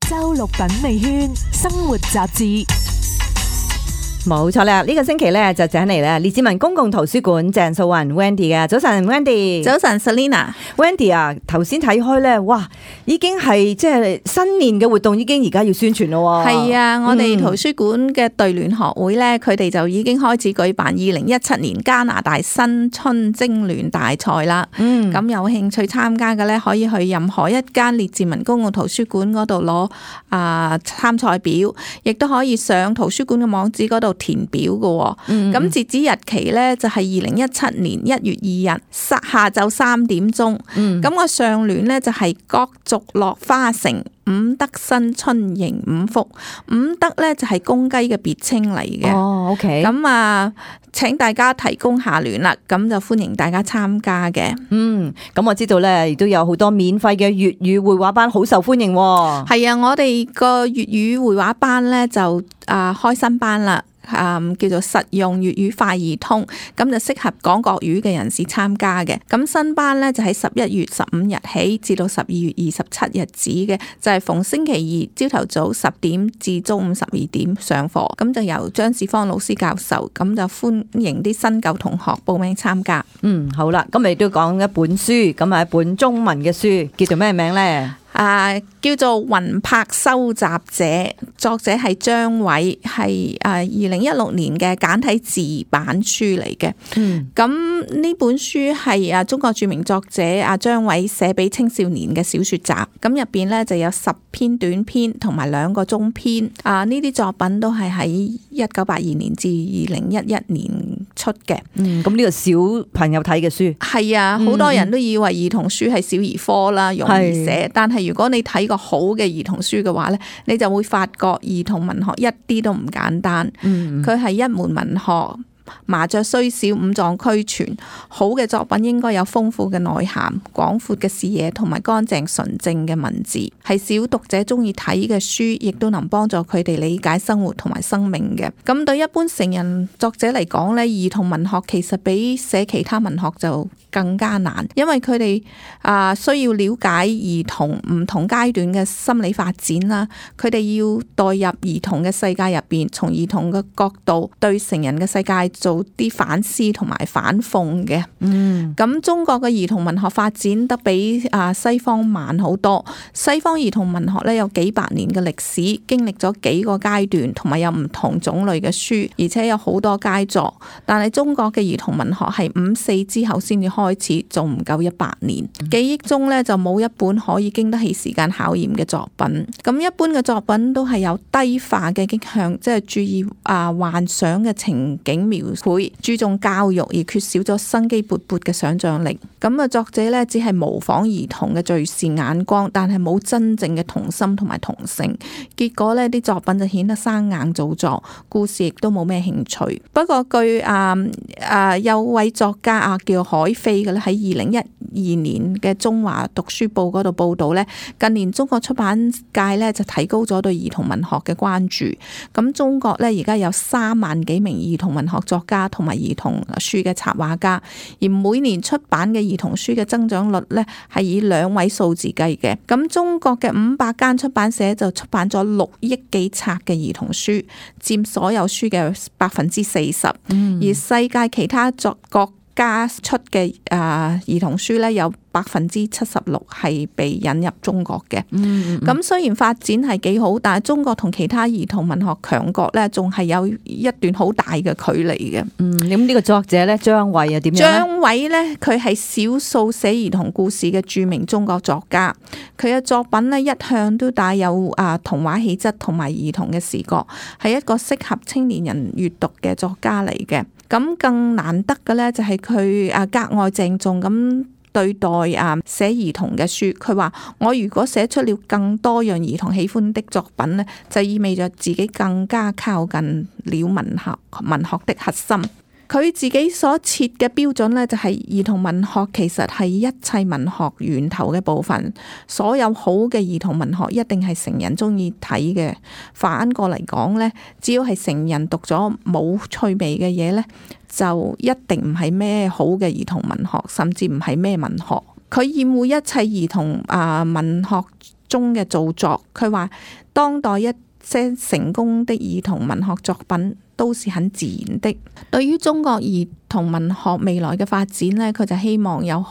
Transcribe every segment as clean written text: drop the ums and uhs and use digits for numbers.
周六品味圈生活雜誌。冇錯啦，呢個星期咧就請嚟咧列治文公共圖書館鄭素雲 Wendy 嘅。早晨 Wendy。早晨 Selina。Wendy 啊，頭先睇開咧，哇，已經係即係新年嘅活動，已經而家要宣傳咯。係啊，我哋圖書館嘅對聯學會咧，佢哋就已經開始舉辦2017年加拿大新春徵聯大賽啦。咁有興趣參加嘅咧，可以去任何一間列治文公共圖書館嗰度攞參賽表，亦都可以上圖書館嘅網址嗰度填表嘅。咁截止日期咧就係2017年1月2日下晝3點鐘。咁個上聯咧就係各族樂花城，五德新春迎五福。五德咧就係公雞嘅別稱嚟嘅。哦 ，OK。咁請大家提供下聯啦，咁就歡迎大家參加嘅。咁我知道咧，亦都有好多免費嘅粵語繪畫班，好受歡迎。係啊，我哋個粵語繪畫班咧就開新班啦。叫做實用粵語快易通，咁就適合講國語嘅人士參加嘅。咁新班咧就喺11月15日起至到12月27日止嘅，就係逢星期二朝頭早10點至中午12點上課。咁就由張志芳老師教授，咁就歡迎啲新舊同學報名參加。好啦，咁你都講一本書，咁係一本中文嘅書，叫做咩名咧？叫做《魂魄收集者》，作者係張偉，係2016年嘅簡體字版書嚟嘅。咁呢本書係中國著名作者張偉寫俾青少年嘅小說集。咁入邊咧就有10篇短篇同埋2個中篇。呢啲作品都係喺1982年至2011年出嘅。咁呢個小朋友睇嘅書係啊，好多人都以為兒童書係小兒科啦，容易寫，但係如果你睇個好嘅兒童書嘅話咧，你就會發覺兒童文學一啲都唔簡單。佢係一門文學。麻雀雖小，五臟俱全。好嘅作品應該有豐富嘅內涵、廣闊嘅視野同埋乾淨純正嘅文字，係小讀者中意睇嘅書，亦都能幫助佢哋理解生活同埋生命嘅。咁對一般成人作者嚟講呢，兒童文學其實比寫其他文學就更加難，因為佢哋需要了解兒童唔同階段嘅心理發展啦，佢哋要代入兒童嘅世界入邊，從兒童嘅角度對成人嘅世界做啲反思同埋反諷嘅。咁中國嘅兒童文學發展得比西方慢好多。西方兒童文學咧有幾百年嘅歷史，經歷咗幾個階段，同埋有唔同種類嘅書，而且有好多佳作。但係中國嘅兒童文學係54之後先至開始，仲唔夠100年。記憶中咧就冇一本可以經得起時間考驗嘅作品。咁一般嘅作品都係有低化嘅傾向，即係注意幻想嘅情景描繪，注重教育而缺少咗生機勃勃嘅想像力。咁作者咧只係模仿兒童嘅敘事眼光，但係冇真正嘅童心同埋童性。結果呢啲作品就顯得生硬造作，故事亦都冇咩興趣。不過據有位作家叫海飛嘅咧，喺2012年嘅中華讀書報嗰度報道咧，近年中國出版界咧就提高咗對兒童文學嘅關注。咁中國咧而家有3萬幾名兒童文學作家同埋兒童書嘅插畫家，而每年出版嘅兒童書嘅增長率咧係以2位數字計嘅。咁中國嘅500間出版社就出版咗6億幾冊嘅兒童書，佔所有書嘅40%。而世界其他國家出嘅兒童書咧有76%係被引入中國嘅。咁雖然發展係幾好，但係中國同其他兒童文學強國咧，仲係有一段好大嘅距離嘅。咁呢個作者咧，張偉又點樣咧？張偉咧，佢係少數寫兒童故事嘅著名中國作家。佢嘅作品咧，一向都帶有童話氣質同埋兒童嘅視覺，係一個適合青年人閱讀嘅作家嚟嘅。咁更難得嘅咧，就係佢格外鄭重咁對待寫兒童嘅書。佢話：我如果寫出了更多讓兒童喜歡的作品呢，就意味着自己更加靠近了文學的核心。佢自己所設嘅標準呢，就係兒童文學其實係一切文學源頭嘅部分。所有好嘅兒童文學一定係成人中意睇嘅。反過嚟講呢，只要係成人讀咗冇趣味嘅嘢呢，就一定唔係咩好嘅兒童文學，甚至唔係咩文學。佢厭惡一切兒童文學中嘅造作。佢話當代一些成功的兒童文學作品都是很自然的。對於中國兒童文學未來嘅發展呢，佢就希望有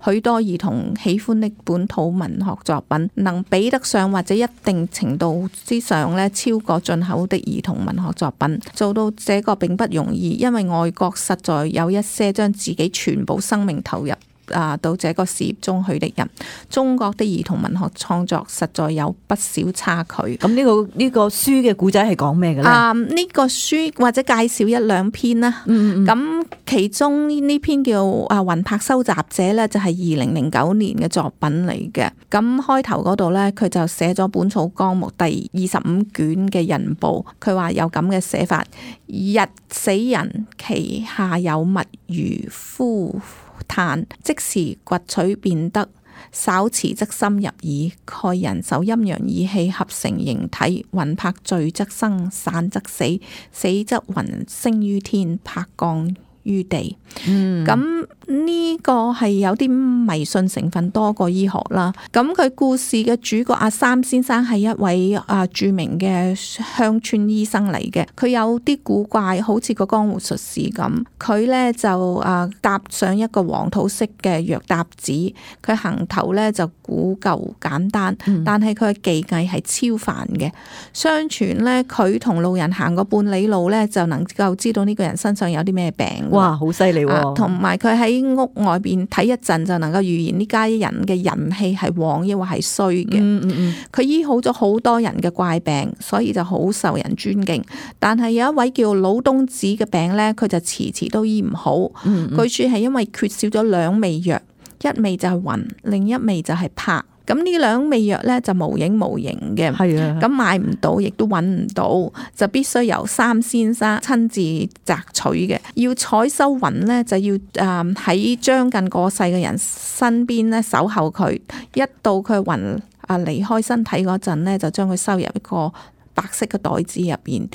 許多兒童喜歡的本土文學作品，能比得上或者一定程度之上呢超過進口的兒童文學作品。做到這個並不容易，因為外國實在有一些將自己全部生命投入到這個事業中去的人。中國的兒童文學創作實在有不少差距。咁呢個書嘅故仔係講咩嘅咧？呢個書或者介紹一兩篇啦。咁其中呢篇叫《魂魄收集者》咧，就係2009年嘅作品嚟嘅。咁開頭嗰度咧，佢就寫咗《本草綱目》第25卷嘅人報。佢話有咁嘅寫法：日死人，其下有物如呼嘆，即時掘取便得，稍遲則深入耳。蓋人受陰陽二氣合成形體，魂魄聚則生，散則死，死則魂升於天，魄降於地。咁呢個係有啲迷信成分多過醫學啦。咁佢故事嘅主角阿三先生係一位著名嘅鄉村醫生嚟嘅。佢有啲古怪，好似個江湖術士咁。佢呢就搭上一個黃土色嘅藥搭子，佢行頭呢就古舊簡單，但係佢嘅技藝係超凡嘅。相傳呢，佢同路人行個半里路呢，就能夠知道呢個人身上有啲咩病。哇，好犀利喎！同埋佢喺屋外邊睇一陣就能夠預言呢家人嘅人氣係旺抑或係衰嘅。佢醫好咗好多人嘅怪病，所以就好受人尊敬。但係有一位叫老東子嘅病呢，佢就遲遲都醫唔好。據說係因為缺少咗兩味藥，一味就係魂，另一味就係魄。咁呢兩味藥咧就無影無形嘅，咁買唔到，亦都揾唔到，就必須由三先生親自摘取嘅。要採收魂咧，就要喺將近過世嘅人身邊咧守候佢，一到佢魂離開身體嗰陣咧，就將佢收入一個白色嘅袋子入邊，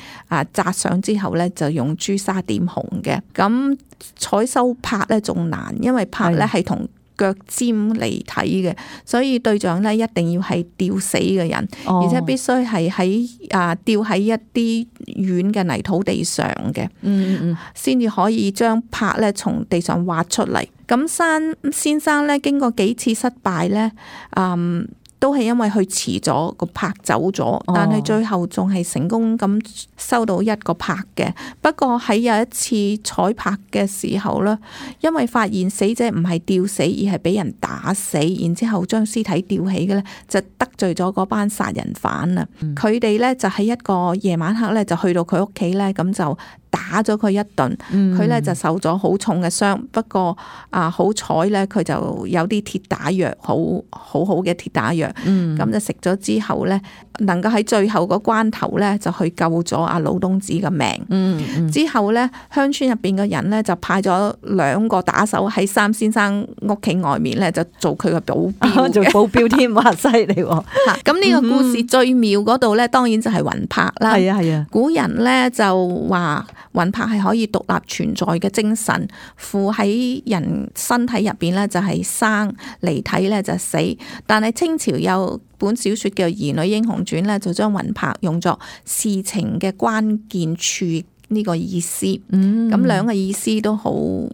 紮上之後咧就用朱砂點紅嘅。咁採收魄咧仲難，因為魄咧係同腳尖離體嘅，所以對象咧一定要係吊死嘅人，而且必須係喺吊喺一啲軟嘅泥土地上嘅，先至可以將魄咧從地上挖出嚟。咁山先生咧經過幾次失敗咧，都係因為佢遲咗，個魄走咗，但係最後仲係成功咁收到一個魄嘅。不過喺有一次採魄嘅時候咧，因為發現死者唔係吊死，而係俾人打死，然之後將屍體吊起嘅咧，就得罪咗嗰班殺人犯啊！佢哋咧就喺一個夜晚黑咧就去到佢屋企咧，咁就打咗佢一頓，佢咧就受咗好重嘅傷。不過好彩咧，佢就有啲鐵打藥，好嘅鐵打藥，咁就食咗之後咧，能夠喺最後個關頭咧就去救咗阿老東子嘅命。之後咧，鄉村入邊嘅人咧就派咗2個打手喺三先生屋企外面咧就做佢嘅保鏢，做保鏢添，哇，犀利喎！咁呢個故事最妙嗰度咧，當然就係魂魄啦。係啊，古人咧就話魂魄係可以獨立存在嘅精神，附喺人身體入邊咧就係生，離體咧就死。但係清朝有本小說叫《兒女英雄傳》咧，就將魂魄用作事情嘅關鍵處呢個意思。咁兩個意思都好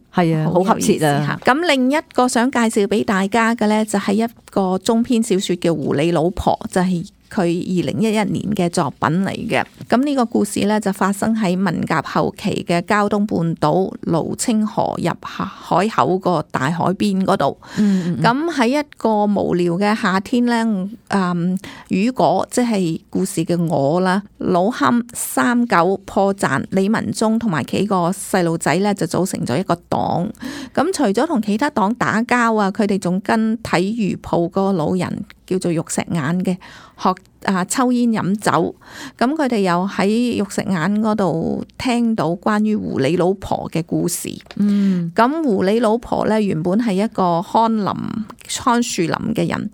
好合切啊！咁另一個想介紹俾大家嘅咧，就係一個中篇小說叫《狐狸老婆》，就係佢2011年嘅作品嚟嘅。咁呢個故事咧就發生喺文革後期嘅膠東半島蘆清河入海口個大海邊嗰度。咁喺一個無聊嘅夏天咧，雨果即係故事嘅我啦，老冚、三九、破綻、李文忠同埋幾個細路仔咧就組成咗一個黨。咁除咗同其他黨打交啊，佢哋仲跟睇魚鋪個老人叫做玉石眼嘅學抽煙飲酒。咁佢哋又喺玉石眼嗰度聽到關於狐狸老婆嘅故事。咁狐狸老婆咧原本係一個看樹林嘅人。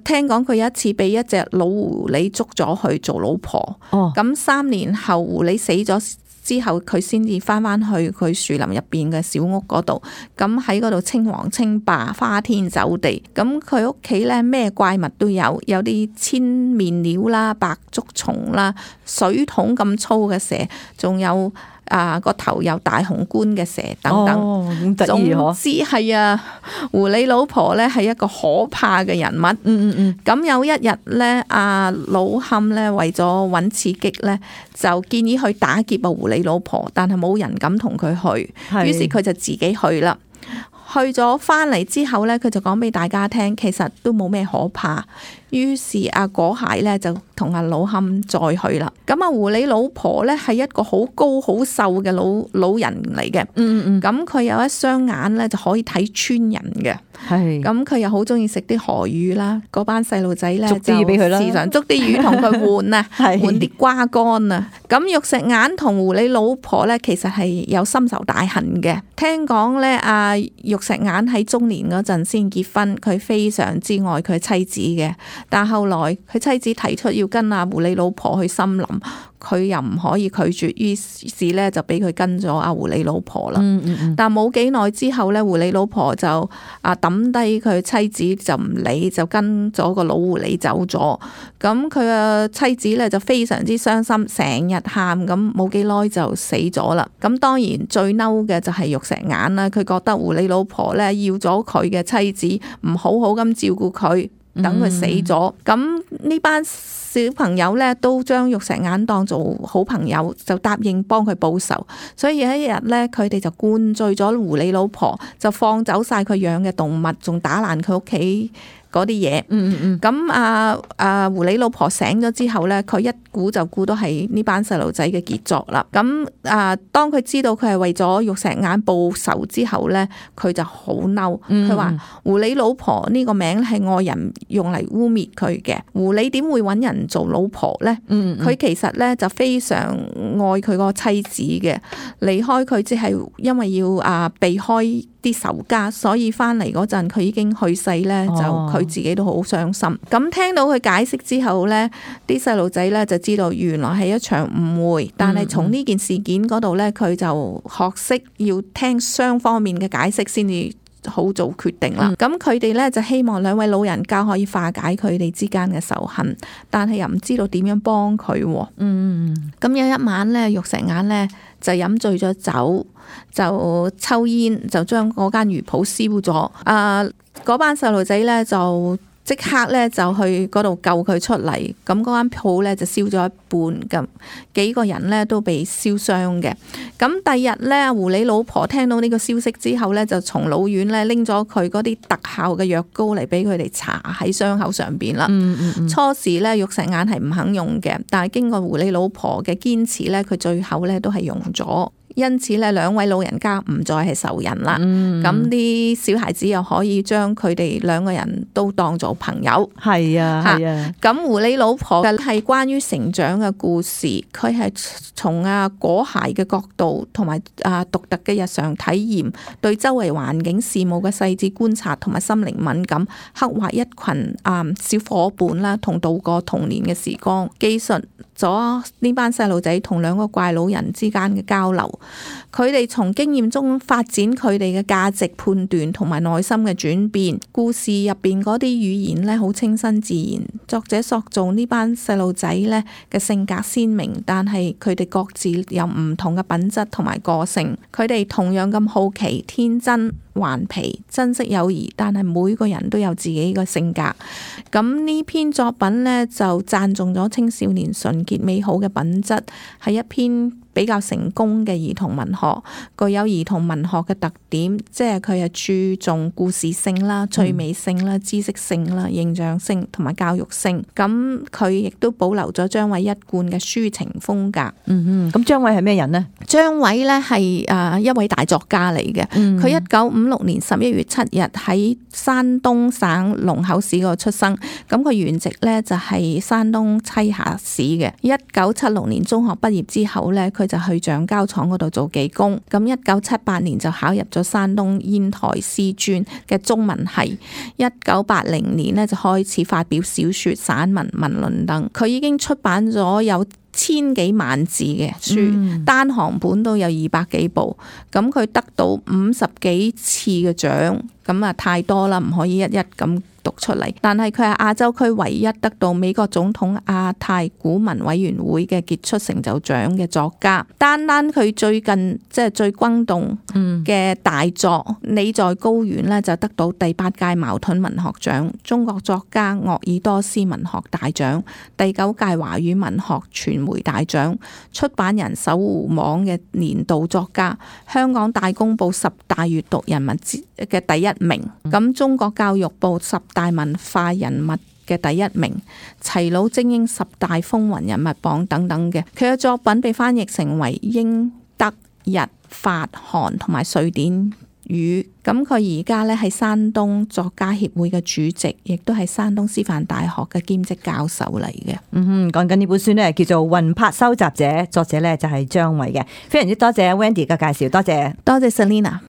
聽講佢有一次俾一隻老狐狸捉咗去做老婆。咁3年後狐狸死咗之後佢先至翻去佢樹林入邊嘅小屋嗰度，咁喺嗰度稱王稱霸，花天酒地。咁佢屋企咧咩怪物都有，有啲千面鳥啦、白竹蟲啦、水桶咁粗嘅蛇，仲有個頭有大紅冠嘅蛇等等。咁得意嗬！總之係啊，狐狸老婆咧係一個可怕嘅人物。咁有一日咧，阿老坎咧為咗揾刺激咧，就建議去打劫狐狸老婆，但係冇人敢同佢去，於是佢就自己去啦。去咗翻嚟之後咧，佢就講俾大家聽，其實都冇咩可怕。於是阿果蟹咧就同阿老坎再去啦。咁狐狸老婆咧係一個好高好瘦嘅老人嚟嘅。咁佢有一雙眼咧就可以睇穿人嘅。咁佢又好中意食啲河魚啦。嗰班細路仔咧就時常捉啲魚同佢換啊，換啲瓜乾啊。咁玉石眼同狐狸老婆咧其實係有深仇大恨嘅。聽講咧，阿玉石眼喺中年嗰陣先結婚，佢非常之愛佢妻子嘅。但後來佢妻子提出要跟阿狐狸老婆去森林，佢又唔可以拒絕，於是咧就俾佢跟咗阿狐狸老婆啦。但冇幾耐之後咧，狐狸老婆就抌低佢妻子就唔理，就跟咗個老狐狸走咗。咁佢嘅妻子咧就非常之傷心，成日喊，咁冇幾耐就死咗啦。咁當然最嬲嘅就係玉石眼啦，佢覺得狐狸老婆咧要咗佢嘅妻子，唔好好咁照顧佢。等佢死咗，咁呢班小朋友咧都將玉石眼當做好朋友，就答應幫佢報仇。所以有一日咧，佢哋就灌醉咗狐狸老婆，就放走晒佢養嘅動物，仲打爛佢屋企嗰啲嘢。咁狐狸老婆醒咗之後咧，佢一估就估到係呢班細路仔嘅傑作啦。咁當佢知道佢係為咗玉石眼報仇之後咧，佢就好嬲。佢話狐狸老婆呢個名係外人用嚟污蔑佢嘅。狐狸點會揾人做老婆咧？佢其實咧就非常愛佢個妻子嘅，離開佢只係因為要避開啲仇家，所以翻嚟嗰陣佢已經去世咧，就佢自己都好傷心。咁聽到佢解釋之後咧，啲細路仔咧就知道原來係一場誤會，但係從呢件事件嗰度咧，佢就學識要聽雙方面嘅解釋先至好做決定啦。咁佢哋咧就希望兩位老人家可以化解佢哋之間嘅仇恨，但係又唔知道點樣幫佢。咁有一晚咧，玉石眼咧就飲醉咗酒，就抽煙，就將嗰間魚鋪燒咗。嗰班細路仔咧就即刻咧就去嗰度救佢出嚟。咁嗰間鋪咧就燒咗一半，咁幾個人咧都被燒傷嘅。咁第二日咧，狐狸老婆聽到呢個消息之後咧，就從老遠咧拎咗佢嗰啲特效嘅藥膏嚟俾佢哋搽喺傷口上邊啦。初時咧，玉石眼係唔肯用嘅，但係經過狐狸老婆嘅堅持咧，佢最後咧都係用咗。因此咧，兩位老人家唔再係仇人啦。咁啲小孩子又可以將佢哋兩個人都當做朋友。係啊。咁狐狸老婆嘅係關於成長嘅故事，佢係從果蟹嘅角度同埋獨特嘅日常體驗，對周圍環境事務嘅細緻觀察同埋心靈敏感，刻畫一群小伙伴啦，同度過童年嘅時光，記述咗呢班細路仔同兩個怪老人之間嘅交流。佢哋從經驗中發展佢哋嘅價值判斷同埋內心嘅轉變。故事入邊嗰啲語言咧好清新自然，作者塑造呢班細路仔咧嘅性格鮮明，但係佢哋各自有唔同嘅品質同埋個性。佢哋同樣咁好奇、天真、頑皮、珍惜友誼，但係每個人都有自己嘅性格。咁呢篇作品咧就讚頌咗青少年純潔美好嘅品質，係一篇比較成功嘅兒童文學，具有兒童文學嘅特點，即係佢係注重故事性啦、趣味性啦、知識性啦、形象性同埋教育性。咁佢亦都保留咗張偉一貫嘅抒情風格。咁張偉係咩人呢？張偉咧係一位大作家嚟嘅。佢1956年11月7日喺山東省龍口市嗰度出生。咁佢原籍咧就係山東棲霞市嘅。1976年中學畢業之後咧，佢就去橡膠廠嗰度做技工。咁1978年就考入咗山東煙台師專嘅中文系。1980年咧就開始發表小說、散文、文論等。佢已經出版咗有千幾萬字嘅書，單行本都有200幾部，咁佢得到50幾次嘅獎，咁啊太多啦，唔可以一一咁讀出嚟。但係佢係亞洲區唯一得到美國總統亞太古文委員會嘅傑出成就獎嘅作家。單單佢最近即係最轟動嘅大作《你在高原》呢，就得到第8屆茅盾文學獎、中國作家鄂爾多斯文學大獎、第9屆華語文學傳媒大獎、出版人搜狐網嘅年度作家、香港大公報10大閱讀人物嘅第1名，咁中國教育部10大文化人物嘅第1名，齊魯精英10大風雲人物榜等等嘅。佢嘅作品被翻譯成為英、德、日、法、韓同埋瑞典語。咁佢而家咧係山東作家協會嘅主席，亦都係山東師範大學嘅兼職教授嚟嘅。講緊呢本書呢，叫做《魂魄收集者》，作者呢就係張偉嘅。非常之多謝 Wendy 嘅介紹，多謝 Selina。